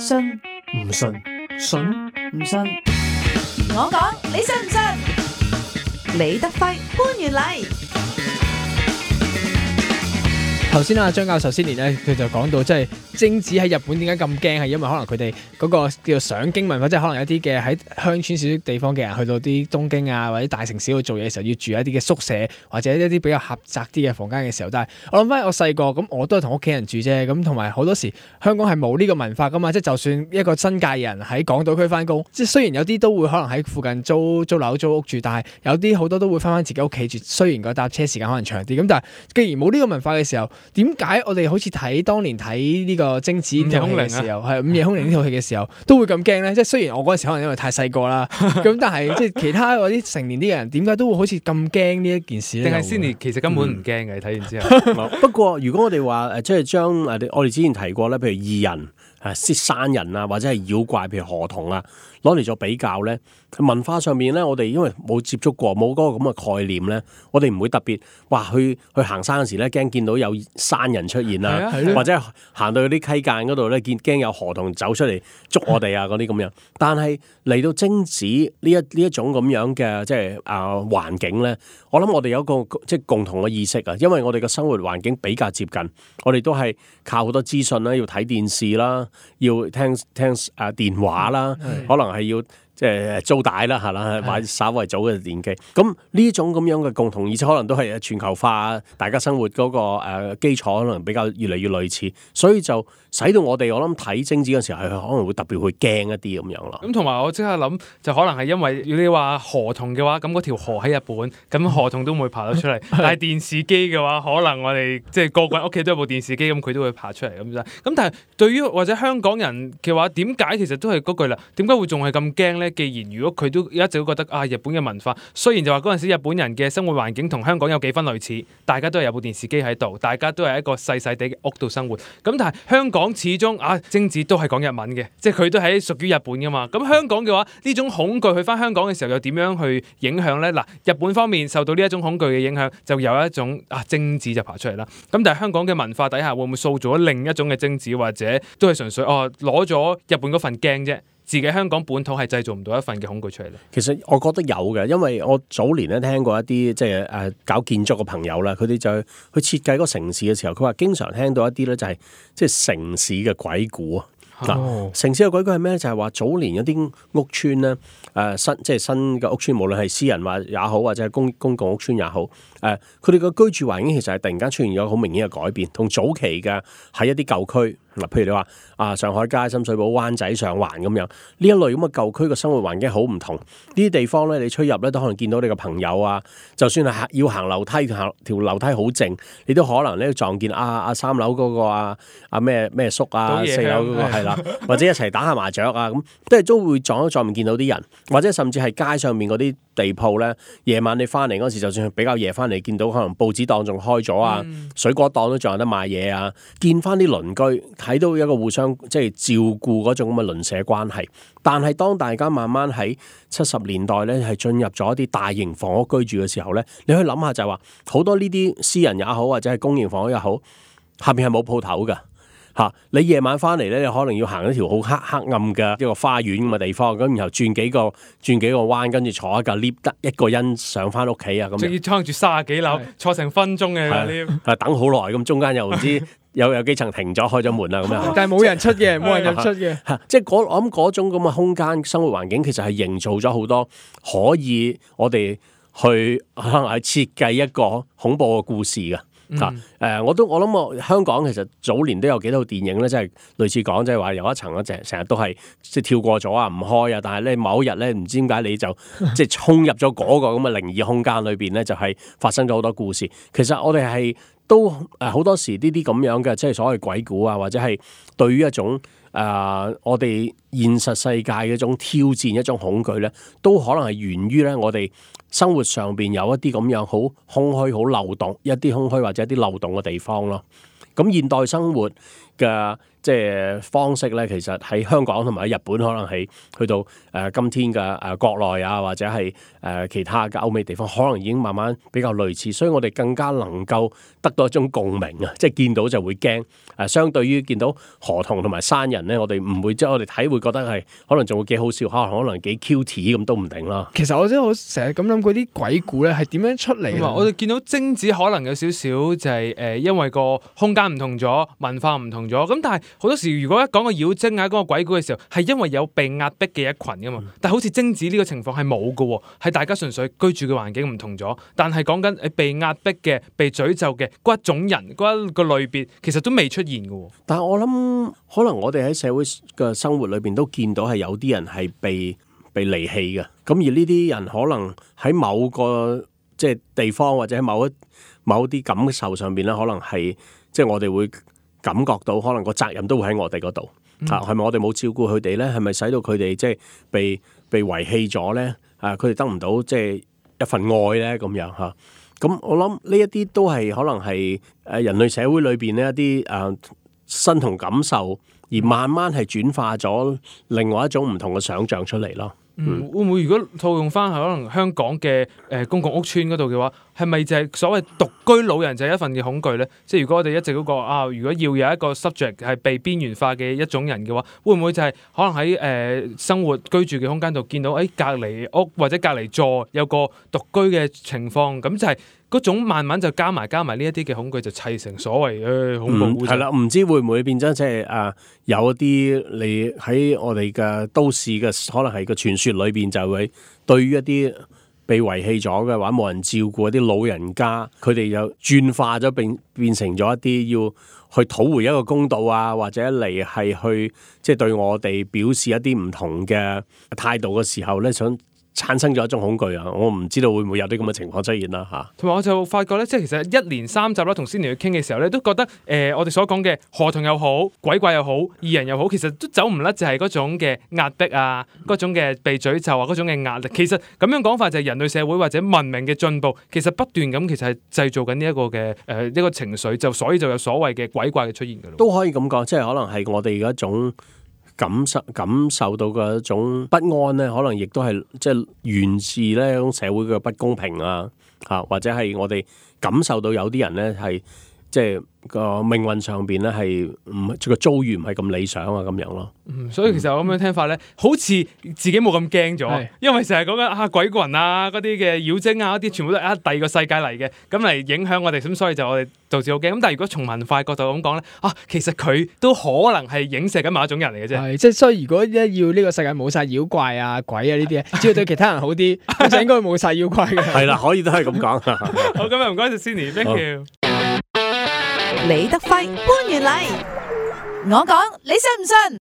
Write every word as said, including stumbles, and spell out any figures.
信唔信？信唔信？我講，你信唔信？李德輝、潘源禮。頭先啊，張教授先年咧，佢就講到即係精子喺日本點解咁驚，係因為可能佢哋嗰個叫做上京文化，即係可能有啲嘅喺鄉村少少地方嘅人去到啲東京啊或者大城市度做嘢嘅時候，要住一啲嘅宿舍或者一啲比較狹窄啲嘅房間嘅時候。但係我諗翻我細個咁，我都係同屋企人住啫。咁同埋好多時香港係冇呢個文化噶嘛，即係就算一個新界人喺港島區翻工，即係雖然有啲都會可能喺附近租租樓租屋住，但係有啲好多都會翻翻自己屋企住。雖然個搭車時間可能長啲，咁但係既然冇呢個文化嘅時候，點解我哋好似睇當年睇呢個精子呢套戲嘅時候，係午夜凶鈴呢套戲嘅時候，都會咁驚咧？即係雖然我嗰陣時可能因為太細個啦，咁但係即係其他嗰啲成年啲嘅人，點解都會好似咁驚呢一件事咧？定係 Cindy 其實根本唔驚嘅，睇、嗯、完之後。不過如果我哋話誒，即係將誒我哋之前提過咧，譬如異人、誒山人啊，或者係妖怪，譬如河童啊，攞嚟做比較咧，文化上面咧，我哋因為冇接觸過，冇嗰個咁嘅概念咧，我哋唔會特別話去去行山嗰時咧，驚見到有山人出現啊，或者行到啲溪澗嗰度咧，見驚有河童走出嚟捉我哋啊嗰啲咁樣。但係嚟到精子呢一呢一種咁樣嘅即係啊環境咧，我諗我哋有一個即係共同嘅意識啊，因為我哋嘅生活環境比較接近，我哋都係靠好多資訊啦，要睇電視啦，要聽聽啊電話啦，可能係要。即係租帶啦，係啦，或者稍為早嘅年紀。咁呢種咁樣嘅共同，而且可能都係全球化，大家生活嗰個誒基礎可能比較越嚟越類似，所以就使到我哋我諗睇精子嘅時候係可能會特別會驚一啲咁樣咯。咁同埋我即刻諗，就可能係因為如果你話河童嘅話，咁嗰條河喺日本，咁河童都唔會爬到出嚟。但係電視機嘅話，可能我哋即係個個人屋企都有部電視機，咁佢都會爬出嚟咁啫。咁但係對於或者香港人嘅話，點解其實都係嗰句啦？點解會仲係咁驚咧？既然如果佢都一直都覺得啊，日本嘅文化雖然就話嗰陣時日本人嘅生活環境同香港有幾分類似，大家都係有部電視機喺度，大家都係一個細細地嘅屋度生活。咁但係香港始終啊，精子都係講日文嘅，即係佢都係屬於日本噶嘛。咁香港嘅話，呢種恐懼去翻香港嘅時候又點樣去影響呢？嗱，日本方面受到呢一種恐懼嘅影響，就有一種啊精子就爬出嚟啦。咁但係香港嘅文化底下會唔會塑造咗另一種嘅精子，或者都係純粹哦攞咗日本嗰份驚啫？自己香港本土係製造唔到一份嘅恐懼出嚟咧。其實我覺得有嘅，因為我早年咧聽過一啲即係誒搞建築嘅朋友啦，佢哋就去設計嗰個城市嘅時候，佢話經常聽到一啲咧就係即係城市嘅鬼故啊。嗱、哦，城市嘅鬼故係咩？就係、是、話早年一啲屋邨咧，誒、呃、新即係新嘅屋邨，無論係私人或也好，或者係公公共屋邨也好，誒佢哋嘅居住環境其實係突然間出現咗好明顯嘅改變，同早期嘅喺一啲舊區。嗱，譬如你話啊，上海街、深水埗、灣仔、上環咁樣，呢一類咁嘅舊區嘅生活環境好唔同。呢啲地方咧，你出入咧都可能見到你嘅朋友啊。就算係要行樓梯，行條樓梯好靜，你都可能咧撞見啊啊三樓嗰個啊啊咩咩叔啊，四樓嗰個係啦，或者一齊打下麻雀啊，咁都係都會撞一撞面見到啲人，或者甚至係街上面嗰啲地鋪咧，夜晚你翻嚟嗰時，就算比較夜翻嚟，見到可能報紙檔仲開咗啊，嗯、水果檔都仲有得賣嘢啊，見翻啲鄰居。睇到一個互相即係照顧嗰種咁嘅鄰舍關係，但係當大家慢慢喺七十年代咧係進入咗一啲大型房屋居住嘅時候咧，你可以諗下就係話好多呢啲私人也好或者係公營房屋也好，下邊係冇鋪頭㗎嚇。你夜晚翻嚟咧，你可能要行一條好黑黑暗嘅一個花園咁嘅地方，咁然後轉幾個轉幾個彎，跟住坐一架 lift 得一個人上翻屋企啊咁。仲要撐住三十幾樓，坐成分鐘嘅 lift，係等好耐咁，中間又唔知。有有幾層停咗開咗門啦咁樣，但係冇人出嘅，冇人入出嘅，即係我諗嗰種咁嘅空間生活環境，其實係營造咗好多可以我哋去可能係設計一個恐怖嘅故事㗎。嗱、嗯，誒、呃，我都我諗我香港其實早年都有幾套電影咧，即係類似講，即係話有一層咧，成成日都係即係跳過咗啊，唔開啊，但係咧某一日咧，唔知點解你就即係衝入咗嗰個咁嘅靈異空間裏邊咧，就係、是、發生咗好多故事。其實我哋係都誒好、呃、多時呢啲咁樣嘅，即係所謂鬼故啊，或者係對於一種誒、呃、我哋現實世界嘅一種挑戰、一種恐懼咧，都可能係源於咧我哋生活上邊有一啲咁樣好空虛、好漏洞，一啲空虛或者一啲漏洞嘅地方咯。咁現代生活嘅即係方式咧，其實喺香港同埋喺日本，可能係去到誒、呃、今天嘅誒、呃、國內啊，或者係誒、呃、其他嘅歐美地方，可能已經慢慢比較類似，所以我哋更加能夠得到一種共鳴啊！即係見到就會驚。誒、呃，相對於見到河童同埋山人咧，我哋唔會即係我哋睇會覺得係可能仲會幾好笑，可能可能幾 cute 咁都唔定啦。其實我真係好成日咁諗，嗰啲鬼故咧係點樣出嚟嘅？我哋見到精子可能有少少就係、是、誒、呃，因為個空間唔同咗，文化唔同咗。咁但係好多時，如果一講個妖精啊，講個鬼故嘅時候，係因為有被壓迫嘅一群噶嘛。但係好似精子呢個情況係冇㗎，係大家純粹居住嘅環境唔同咗。但係講緊誒被壓迫嘅、被詛咒嘅嗰一種人嗰一個類別，其實都未出現㗎。但係我諗，可能我哋喺社會嘅生活裏邊都見到係有啲人係被被離棄嘅。咁而呢啲人可能喺某個即係地方或者喺某一某啲感受上邊咧，可能係即係我哋會感覺到，可能個責任都會喺我哋嗰度。啊，係咪我哋冇照顧佢哋咧？係咪使到佢哋即係被被遺棄咗咧？啊，佢哋得唔到即係一份愛咧？咁樣嚇。咁我諗呢一啲都係可能係誒人類社會裏邊呢一啲誒身同感受，而慢慢係轉化咗另外一種唔同嘅想像出嚟咯。嗯，會唔會如果套用翻係可能香港嘅誒、呃、公共屋邨嗰度嘅話，係咪就係所謂獨居老人就係一份嘅恐懼咧？即係如果我哋一直嗰個啊，如果要有一個 subject 係被邊緣化嘅一種人嘅話，會唔會就係可能喺誒、呃、生活居住嘅空間度見到誒隔離屋或者隔離座有個獨居嘅情況，咁就係嗰種慢慢就加埋加埋呢一啲嘅恐懼就砌成所謂誒、呃、恐怖故事。係啦、嗯，唔知會唔會變咗即係誒有一啲你喺我哋嘅都市嘅可能係個傳說裏邊就會對於一啲被遺棄咗嘅話冇人照顧一啲老人家，佢哋又轉化咗變變成咗一啲要去討回一個公道啊，或者嚟係去即係、就是、對我哋表示一啲唔同嘅態度嘅時候咧，想產生咗一種恐懼啊！我唔知道會唔會有啲咁嘅情況出現啦嚇。同、啊、埋我就發覺咧，即係其實一連三集啦，同 Cindy 去傾嘅時候咧，都覺得誒、呃、我哋所講嘅河童又好、鬼怪又好、異人又好，其實都走唔甩就係嗰種嘅壓迫啊，嗰種嘅被詛咒啊，嗰種嘅壓力。其實咁樣講法就係人類社會或者文明嘅進步，其實不斷咁其實係製造緊呢一個嘅誒、呃、一個情緒，就所以就有所謂嘅鬼怪嘅出現㗎咯。都可以咁講，即係可能係我哋嘅一種感受感受到嘅一種不安咧，可能亦都係即係源自咧一種社會嘅不公平啊，嚇或者係我哋感受到有啲人咧係即係個命運上邊咧係唔個遭遇唔係咁理想啊咁樣咯。嗯，所以其實我咁樣聽法咧，好似自己冇咁驚咗，係因為成日講緊啊鬼魂啊嗰啲嘅妖精啊嗰啲，全部都係啊第二個世界嚟嘅，咁嚟影響我哋，咁所以就我哋導致好驚。咁但係如果從文化角度咁講咧，啊其實佢都可能係影射緊某一種人嚟嘅啫。係即係所以，如果一要呢個世界冇晒妖怪啊鬼啊呢啲，只要對其他人好啲，咁就應該冇晒妖怪嘅。係啦，可以都係咁講。好，今日唔該晒 Cindy，thank you。李德輝、潘源禮，我講你信唔信？